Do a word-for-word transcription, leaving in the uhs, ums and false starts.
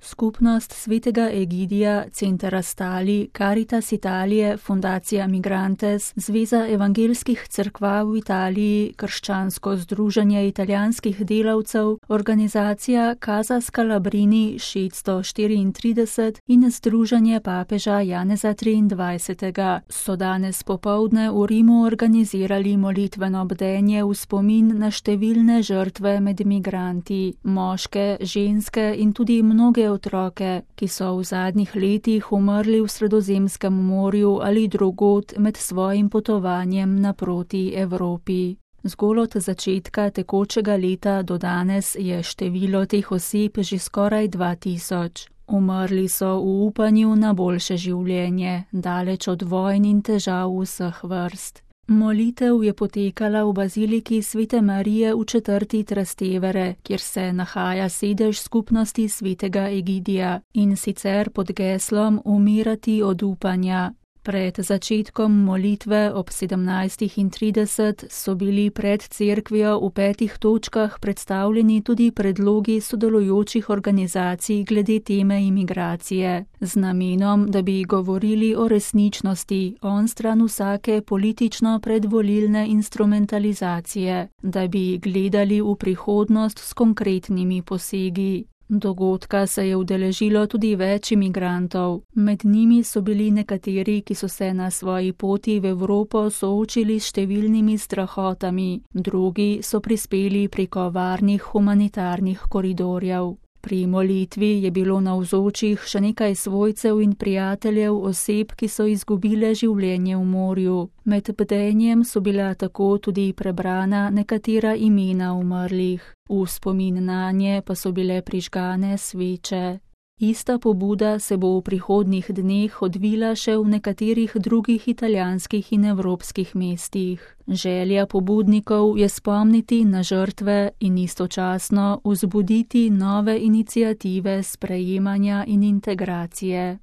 Skupnost svetega Egidija, Center Astali, Caritas Italije, Fundacija Migrantes, Zveza evangelskih cerkva v Italiji, Krščansko združenje italijanskih delavcev, organizacija Casa Scalabrini šeststo štiriintrideset in Združenje papeža Janeza triindvajsetega so danes popoldne v Rimu organizirali molitveno bdenje v spomin na številne žrtve med migranti, moške, ženske in tudi mnoge otroke, ki so v zadnjih letih umrli v Sredozemskem morju ali drugod med svojim potovanjem naproti Evropi. Zgolj od začetka tekočega leta do danes je število teh oseb že skoraj dva tisoč. Umrli so v upanju na boljše življenje, daleč od vojn in težav vseh vrst. Molitev je potekala v baziliki Svete Marije v četrti Trastevere, kjer se nahaja sedež skupnosti svetega Egidija, in sicer pod geslom Umirati od upanja. Pred začetkom molitve ob sedemnajstih trideset so bili pred cerkvijo v petih točkah predstavljeni tudi predlogi sodelujočih organizacij glede teme imigracije, z namenom, da bi govorili o resničnosti onstran vsake politično predvolilne instrumentalizacije, da bi gledali v prihodnost s konkretnimi posegi. Dogodka se je udeležilo tudi več imigrantov. Med njimi so bili nekateri, ki so se na svoji poti v Evropo soočili s številnimi strahotami, drugi so prispeli preko varnih humanitarnih koridorjev. Pri molitvi je bilo navzočih še nekaj svojcev in prijateljev oseb, ki so izgubile življenje v morju. Med bdenjem so bila tako tudi prebrana nekatera imena umrlih. V spomin nanje pa so bile prižgane sveče. Ista pobuda se bo v prihodnjih dneh odvila še v nekaterih drugih italijanskih in evropskih mestih. Želja pobudnikov je spomniti na žrtve in istočasno vzbuditi nove iniciative sprejemanja in integracije.